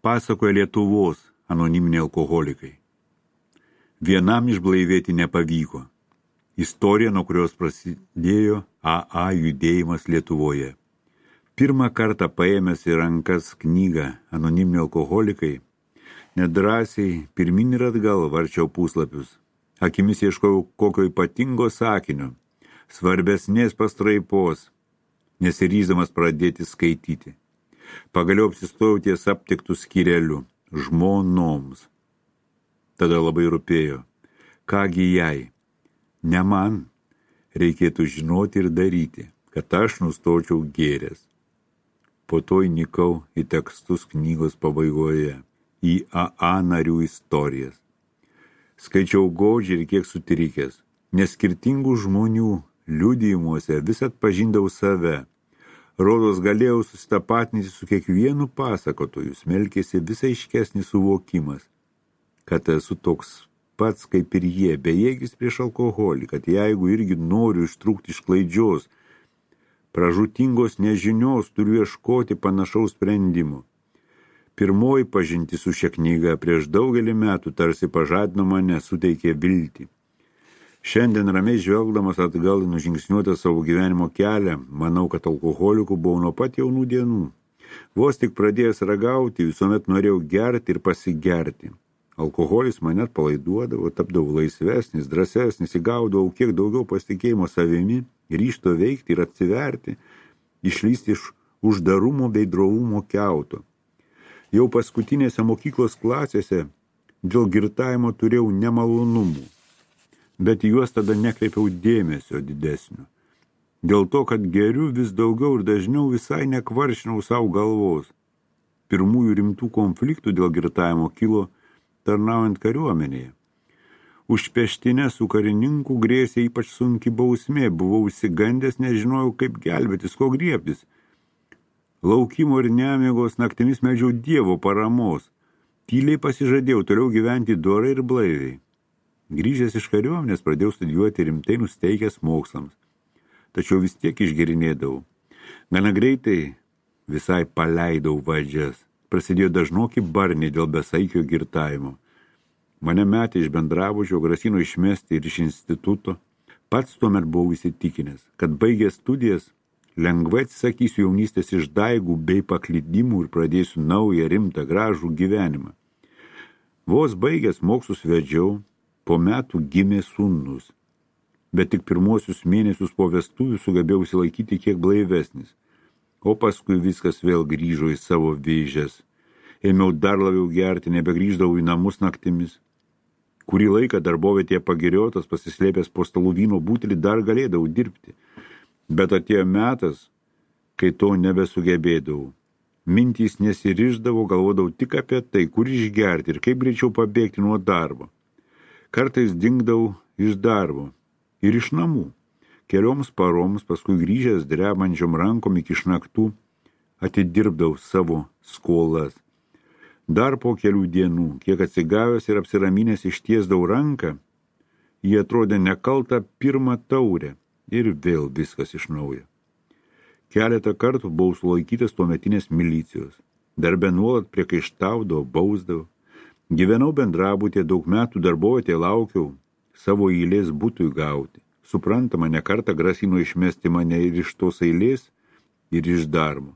pasakoja Lietuvos anoniminiai alkoholikai. Vienam išblaivėti nepavyko. Istorija, nuo kurios prasidėjo AA judėjimas Lietuvoje. Pirmą kartą paėmęs į rankas knygą anoniminiai alkoholikai, nedrąsiai pirmin ir atgal varčiau puslapius. Akimis ieškojau kokio ypatingo sakinio, svarbesnės pastraipos, nesiryždamas pradėti skaityti. Pagaliau apsistojau ties aptiktų skyrelių žmonoms. Tada labai rūpėjo, kągi jai, ne man, reikėtų žinoti ir daryti, kad aš nustočiau gėręs. Po to įnikau į tekstus knygos pabaigoje, į AA narių istorijas. Skaičiau godžiai ir kiek sutrikęs, nes skirtingų žmonių liudijimuose vis atpažindavau save. Rodos galėjau susitapatinti su kiekvienu pasakotoju, smelkėsi vis aiškesnis suvokimas, kad esu toks pats kaip ir jie, bejėgis prieš alkoholį, kad jeigu irgi noriu ištrūkti iš klaidžios, pražūtingos nežinios, turiu ieškoti panašaus sprendimo. Pirmoji pažintis su šia knyga prieš daugelį metų tarsi pažadino mane, suteikė viltį. Šiandien ramiai žvelgdamas atgal į nužingsniuotą savo gyvenimo kelią, manau, kad alkoholikų buvau nuo pat jaunų dienų. Vos tik pradėjęs ragauti, visuomet norėjau gerti ir pasigerti. Alkoholis mane atpalaiduodavo, tapdavau laisvesnis, drąsesnis, įgaudavau kiek daugiau pasitikėjimo savimi, ryžto veikti ir atsiverti, išlysti iš uždarumo bei drovumo kiauto. Jau paskutinėse mokyklos klasėse dėl girtavimo turėjau nemalonumų, bet juos tada nekreipiau dėmesio didesnio. Dėl to, kad geriu vis daugiau ir dažniau visai nekvaršinau savo galvos. Pirmųjų rimtų konfliktų dėl girtavimo kilo tarnaujant kariuomenėje. Už peštinę su karininku grėsė ypač sunki bausmė, buvau išsigandęs, nežinojau kaip gelbėtis, ko griebtis. Laukimo ir nemigos naktimis meldžiau Dievo paramos. Tyliai pasižadėjau toliau gyventi dorai ir blaiviai. Grįžęs iš kariuomenės pradėjau studijuoti rimtai nusteikęs mokslams. Tačiau vis tiek išgerinėdavau. Gana greitai visai paleidau vadžias. Prasidėjo dažnoki barniai dėl besaikio girtavimo. Mane metė iš bendrabučio, grasino išmesti ir iš instituto. Pats tuomet buvau įsitikinęs, kad baigęs studijas lengvai atsisakysiu jaunystės išdaigų bei paklydimų ir pradėsiu naują, rimtą, gražų gyvenimą. Vos baigęs mokslus vedžiau, po metų gimė sūnus, bet tik pirmosius mėnesius po vestuvių sugebėjau išsilaikyti kiek blaivesnis, o paskui viskas vėl grįžo į savo vėžes. Ėmiau dar labiau gerti, nebegrįždavau į namus naktimis. Kurį laiką darbovietėje pagiriotas, pasislėpęs po stalų vyno butelį, dar galėdavau dirbti. Bet atėjo metas, kai to nebesugebėdavau. Mintys nesiriždavo, galvodavau tik apie tai, kur išgerti ir kaip greičiau pabėgti nuo darbo. Kartais dingdavau iš darbo ir iš namų. Kelioms paroms, paskui grįžęs drebančiom rankom iki šnaktų, atidirbdavau savo skolas. Dar po kelių dienų, kiek atsigavęs ir apsiraminęs ištiesdavau ranką, jie atrodė nekalta pirmą taurę ir vėl viskas iš naujo. Keletą kartų buvau sulaikytas tuometinės milicijos. Darbe nuolat priekaištaudavau, bausdavau. Gyvenau bendrabutėje, daug metų darbovietėje laukiau savo eilės butui gauti. Suprantama, ne kartą grasino išmesti mane ir iš tos eilės, ir iš darbo.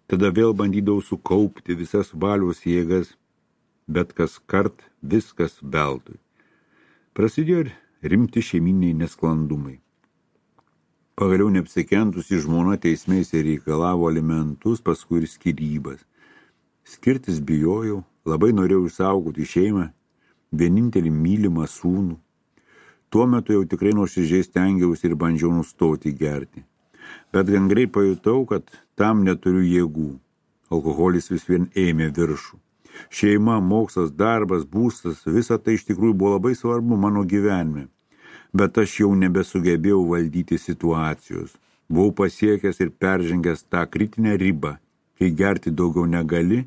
Tada vėl bandydavau sukaupti visas valios jėgas, bet kas kart viskas veltui. Prasidėjo rimti šeiminiai nesklandumai. Pagaliau neapsikentusi žmona teismais reikalavo alimentus, paskui ir skyrybas. Skirtis bijojau, labai norėjau išsaugoti šeimą, vienintelį mylimą sūnų. Tuo metu jau tikrai nuoširdžiai stengiausi ir bandžiau nustoti gerti. Bet gan greit pajutau, kad tam neturiu jėgų. Alkoholis vis vien ėmė viršų. Šeima, mokslas, darbas, būstas, visa tai iš tikrųjų buvo labai svarbu mano gyvenime. Bet aš jau nebesugebėjau valdyti situacijos. Buvau pasiekęs ir peržengęs tą kritinę ribą, kai gerti daugiau negali,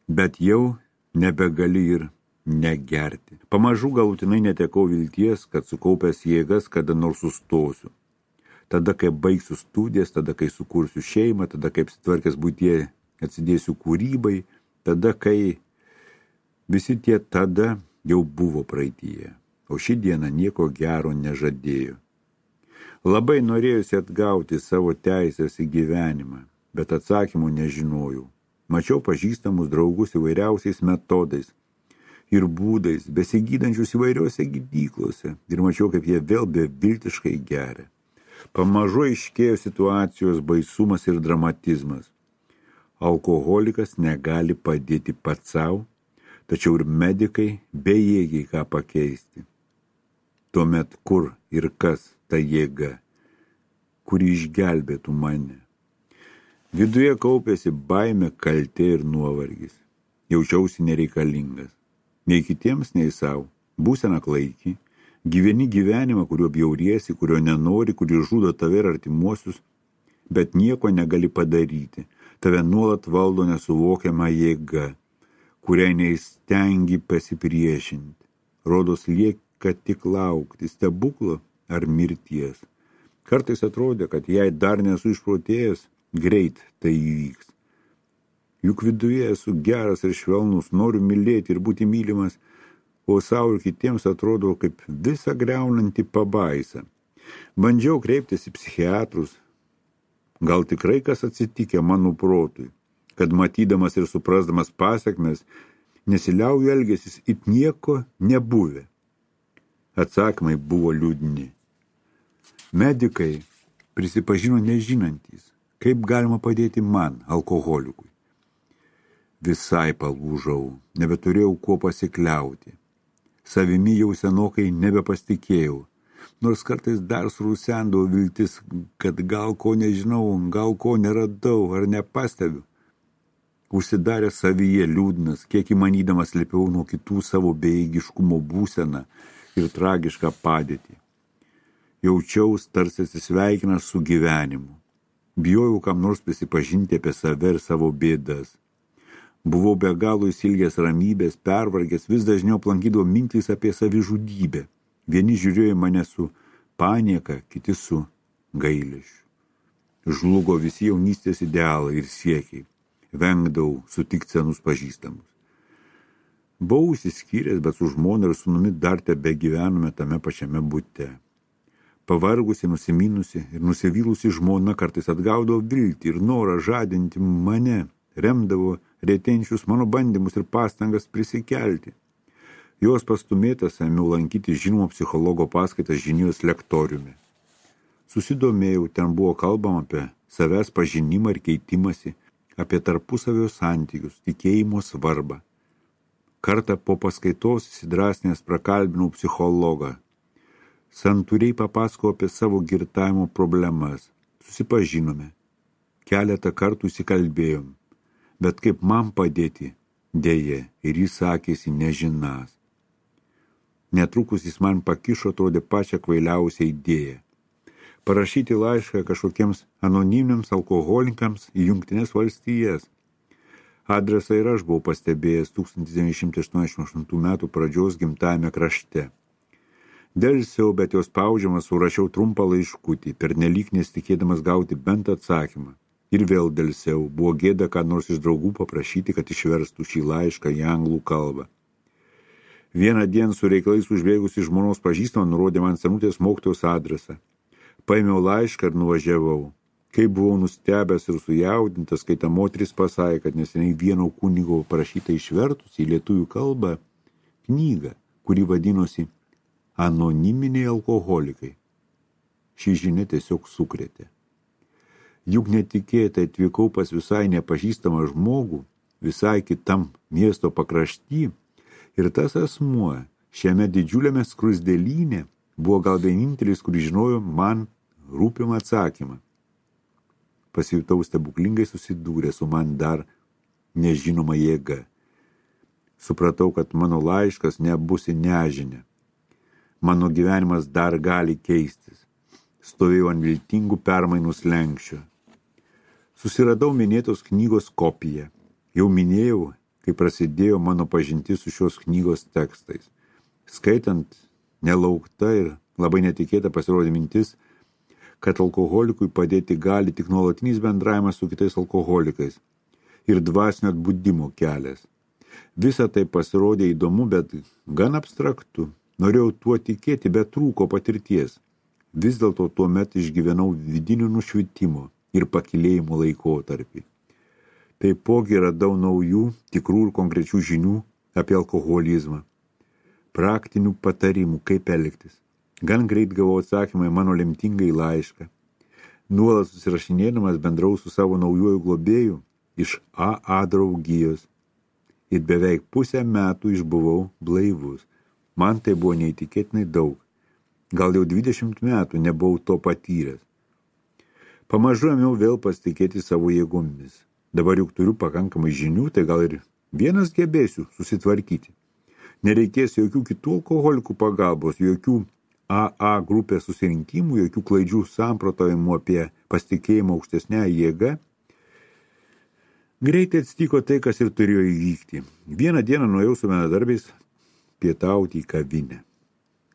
bet jau nebegali ir negerti. Pamažu galutinai netekau vilties, kad sukaupęs jėgas kada nors sustosiu. Tada, kai baigsiu studijas, tada, kai sukursiu šeimą, tada, kaip sutvarkęs buityje atsidėsiu kūrybai, tada, kai visi tie tada jau buvo praeityje, o ši diena nieko gero nežadėjo. Labai norėjusi atgauti savo teisės į gyvenimą, bet atsakymų nežinojau. Mačiau pažįstamus draugus įvairiausiais metodais ir būdais, besigydančius įvairiose gydyklose, ir mačiau, kaip jie vėl beviltiškai geria. Pamažu aiškėjo situacijos baisumas ir dramatizmas. Alkoholikas negali padėti pats savo, tačiau ir medikai bejėgiai ką pakeisti. Tuomet kur ir kas ta jėga, kuri išgelbėtų mane? Viduje kaupėsi baimė, kaltė ir nuovargis. Jaučiausi nereikalingas. Nei kitiems, nei savo. Būsena klaiki. Gyveni gyvenimą, kurio bjauriesi, kurio nenori, kuris žudo tave ir artimuosius, bet nieko negali padaryti. Tave nuolat valdo nesuvokiama jėga, kuriai neįstengi pasipriešinti. Rodos lieka tik laukti stebuklo ar mirties. Kartais atrodė, kad jei dar nesu išprotėjęs, greit tai įvyks. Juk viduje esu geras ir švelnus, noriu mylėti ir būti mylimas, o savo ir kitiems atrodo kaip visą griaunantį pabaisą. Bandžiau kreiptis į psichiatrus. Gal tikrai kas atsitikė mano protui, kad matydamas ir suprasdamas pasekmes, nesiliauju elgesis it nieko nebuvę. Atsakymai buvo liūdni. Medikai prisipažino nežinantys, kaip galima padėti man, alkoholikui. Visai palūžau, nebeturėjau kuo pasikliauti. Savimi jau senokai nebepasitikėjau, nors kartais dar surusendavo viltis, kad gal ko nežinau, gal ko neradau ar nepastebiu. Užsidarė savyje liūdnas, kiek įmanydamas slėpiau nuo kitų savo bejėgiškumo būseną ir tragišką padėtį. Jaučiaus tarsi atsisveikinęs su gyvenimu. Bijojau kam nors prisipažinti apie save ir savo bėdas. Buvau be galo įsilgęs ramybės, pervargęs, vis dažniau aplankydavo mintys apie savižudybę. Vieni žiūrėjo į mane su panieka, kiti su gailesčiu. Žlugo visi jaunystės idealai ir siekiai. Vengdavau sutikti senus pažįstamus. Buvau išsiskyręs, bet su žmona ir sūnumi dar tebegyvenome tame pačiame bute. Pavargusi, nusiminusi ir nusivylusi žmona kartais atgaudavo viltį ir norą žadinti mane, remdavo retėjančius mano bandymus ir pastangas prisikelti. Jos pastumėtas ėmiau lankyti žinomo psichologo paskaitas Žinijos lektoriumi. Susidomėjau, ten buvo kalbama apie savęs pažinimą ir keitimąsi, apie tarpusavio santykius, tikėjimo svarbą. Kartą po paskaitos įsidrasnęs prakalbinau psichologą. Santūriai papasakojau apie savo girtavimo problemas. Susipažinome. Keletą kartų įsikalbėjom. Bet kaip man padėti, dėje, ir jis sakėsi nežinas. Netrukus jis man pakišo, atrodė pačią kvailiausią idėją. Parašyti laišką kažkokiems anoniminiams alkoholikams į Jungtines valstijas. Adresą ir aš buvau pastebėjęs 1988 metų pradžios gimtajame krašte. Delsiau, bet jos spaudžiamas surašiau trumpą laiškutį, pernelyg nesitikėdamas gauti bent atsakymą. Ir vėl delsiau, buvo gėda ką nors iš draugų paprašyti, kad išverstų šį laišką į anglų kalbą. Vieną dieną su reikalais užbėgusi žmonos pažįstamą nurodė man senutės mokytojos adresą. Paėmiau laišką ir nuvažiavau. Kai buvau nustebęs ir sujaudintas, kai ta moteris pasakė, kad neseniai vieno kunigo parašyta išvertus į lietuvių kalbą knygą, kuri vadinosi Anoniminiai alkoholikai. Ši žinia tiesiog sukrėtė. Juk netikėtai atvykau pas visai nepažįstamą žmogų, visai kitam miesto pakrašty, ir tas asmuo šiame didžiuliame skruzdėlyne buvo gal vienintelis, kuris žinojo man rūpimą atsakymą. Pasijutau stebuklingai susidūrę su man dar nežinoma jėga. Supratau, kad mano laiškas nebus į nežinę. Mano gyvenimas dar gali keistis. Stovėjau ant viltingų permainų slenksčio. Susiradau minėtos knygos kopiją. Jau minėjau, kai prasidėjo mano pažintis su šios knygos tekstais. Skaitant, nelaukta ir labai netikėta pasirodė mintis, kad alkoholikui padėti gali tik nuolatinis bendravimas su kitais alkoholikais. ir dvasinio atbudimo kelias. Visa tai pasirodė įdomu, bet gan abstraktu. Norėjau tuo tikėti, bet trūko patirties. Vis dėlto tuomet išgyvenau vidinių nušvitimo ir pakilėjimo laikotarpį. Taipogi radau naujų, tikrų ir konkrečių žinių apie alkoholizmą. Praktinių patarimų, kaip elgtis. Gan greit gavau atsakymą į mano lemtingai laišką. Nuolat susirašinėdamas bendrau su savo naujuoju globėju iš AA draugijos. Ir beveik pusę metų išbuvau blaivus. Man tai buvo neįtikėtinai daug. Gal jau 20 metų nebuvau to patyręs. Pamažu ėmiau vėl pasitikėti savo jėgomis. Dabar juk turiu pakankamai žinių, tai gal ir vienas gebėsiu susitvarkyti. Nereikės jokių kitų alkoholikų pagalbos, jokių AA grupės susirinkimų, jokių klaidžių samprotavimų apie pasitikėjimą aukštesnę jėgą. Greitai atsitiko tai, kas ir turėjo įvykti. Vieną dieną nuėjau su bendradarbiais pietauti į kavinę.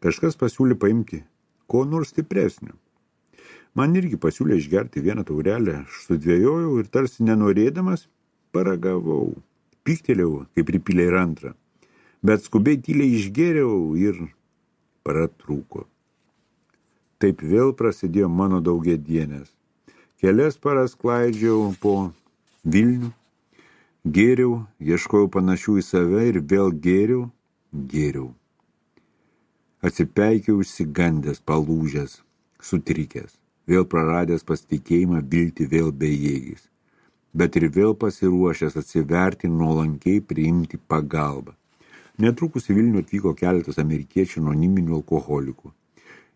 Kažkas pasiūlė paimti ko nors stipresnio. Man irgi pasiūlė išgerti vieną taurelę, aš sudvejojau ir tarsi nenorėdamas paragavau. Pyktelėjau, kaip pripylė ir antrą. Bet skubiai tyliai išgėriau ir pratrūko. Taip vėl prasidėjo mano daugiadienės. Kelias paras klaidžiau po Vilnių, gėriau, ieškojau panašių į save ir vėl gėriau. Atsipeikiau išsigandęs, palūžęs, sutrikęs, vėl praradęs pasitikėjimą, viltį, vėl bejėgis, bet ir vėl pasiruošęs atsiverti nuolankiai priimti pagalbą. Netrukus į Vilnių atvyko keletas amerikiečių anoniminių alkoholikų.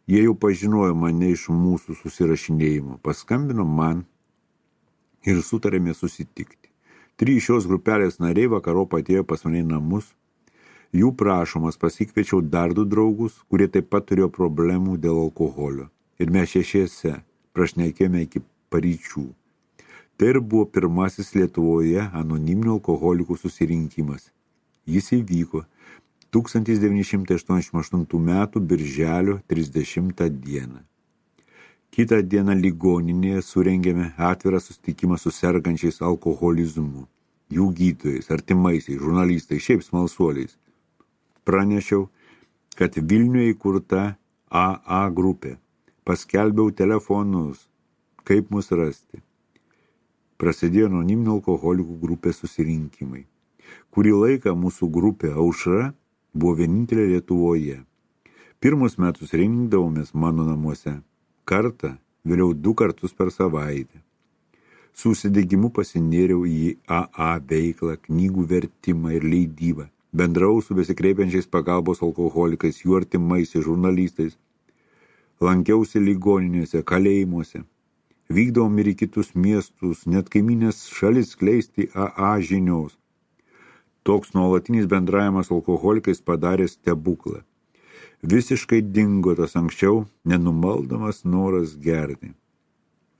Jie jau pažinojo mane iš mūsų susirašinėjimo, paskambino man ir sutarėme susitikti. 3 šios grupelės nariai vakarop atėjo pas mane į namus. Jų prašomas pasikviečiau dar 2 draugus, kurie taip pat turėjo problemų dėl alkoholio. Ir mes 6 prašnekėjome iki paryčių. Tai ir buvo pirmasis Lietuvoje anoniminių alkoholikų susirinkimas. Jis įvyko 1988 metų birželio 30 dieną. Kitą dieną ligoninėje surengėme atvirą susitikimą su sergančiais alkoholizmu, jų gydytojais, artimaisiais, žurnalistais, šiaip smalsuoliais. Pranešiau, kad Vilniuje įkurta AA grupė. Paskelbiau telefonus, kaip mus rasti. Prasidėjo anoniminių alkoholikų grupės susirinkimai. Kurį laiką mūsų grupė Aušra buvo vienintelė Lietuvoje. Pirmus metus rinkdavomės mano namuose. Kartą, vėliau 2 kartus per savaitę. Su užsidegimu pasinėriau į AA veiklą, knygų vertimą ir leidybą. Bendrau su besikreipiančiais pagalbos alkoholikais, jų artimaisiais, žurnalistais. Lankiausi ligoninėse, kalėjimuose. Vykdavom ir į kitus miestus, net kaiminės šalis skleisti AA žinios. Toks nuolatinis bendravimas alkoholikais padarė stebuklą. Visiškai dingo tas anksčiau nenumaldomas noras gerti.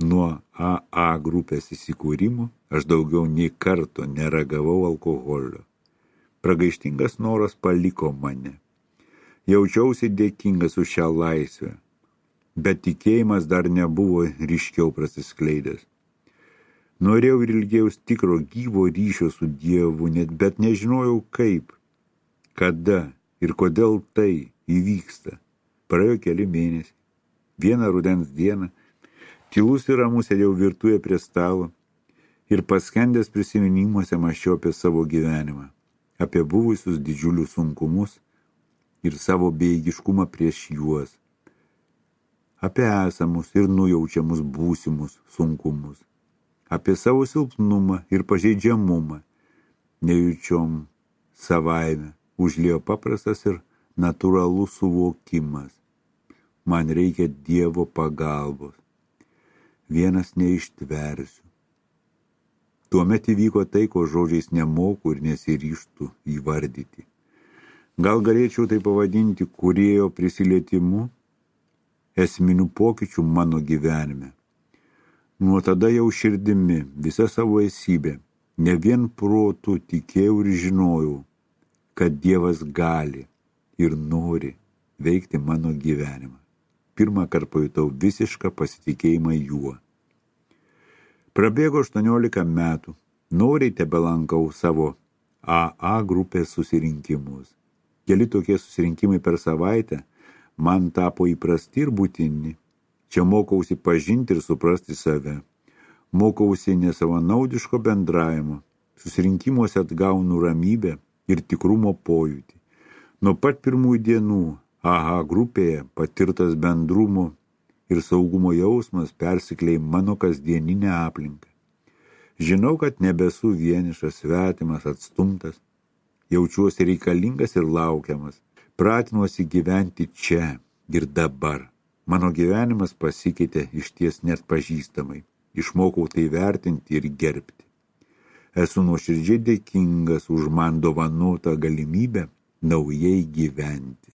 Nuo AA grupės įsikūrimo aš daugiau nei karto neragavau alkoholio. Pragaištingas noras paliko mane. Jaučiausi dėkingas už šią laisvę, bet tikėjimas dar nebuvo ryškiau prasiskleidęs. Norėjau ir ilgėjaus tikro gyvo ryšio su Dievu, bet nežinojau kaip, kada ir kodėl tai įvyksta. Praėjo keli mėnesiai. Vieną rudens dieną, tylus ir ramus sėdėjau virtuvėje prie stalo ir paskendęs prisiminimuose mąsčiau apie savo gyvenimą, apie buvusius didžiulius sunkumus ir savo bejėgiškumą prieš juos, apie esamus ir nujaučiamus būsimus sunkumus, apie savo silpnumą ir pažeidžiamumą, nejučiom savaime užliejo paprastas ir natūralus suvokimas. Man reikia Dievo pagalbos. Vienas neištversiu. Tuomet įvyko tai, ko žodžiais nemoku ir nesiryžtu įvardyti. Gal galėčiau tai pavadinti kūrėjo prisilietimu, esminių pokyčių mano gyvenime. Nuo tada jau širdimi, visa savo esybė, ne vien protu tikėjau ir žinojau, kad Dievas gali ir nori veikti mano gyvenimą. Pirmą kartą pajutau visišką pasitikėjimą juo. Prabėgo 18 metų Noriai tebelankau savo AA grupės susirinkimus. Keli tokie susirinkimai per savaitę man tapo įprasti ir būtini. Čia mokausi pažinti ir suprasti save. Mokausi nesavanaudiško bendravimo. Susirinkimuose atgaunu ramybę ir tikrumo pojūtį. Nuo pat pirmųjų dienų AA grupėje patirtas bendrumo ir saugumo jausmas persikleidė mano kasdieninę aplinką. Žinau, kad nebesu vienišas, svetimas, atstumtas. Jaučiuosi reikalingas ir laukiamas. Pratinuosi gyventi čia ir dabar. Mano gyvenimas pasikeitė išties net pažįstamai. Išmokau tai vertinti ir gerbti. Esu nuoširdžiai dėkingas už man dovanotą galimybę naujai gyventi.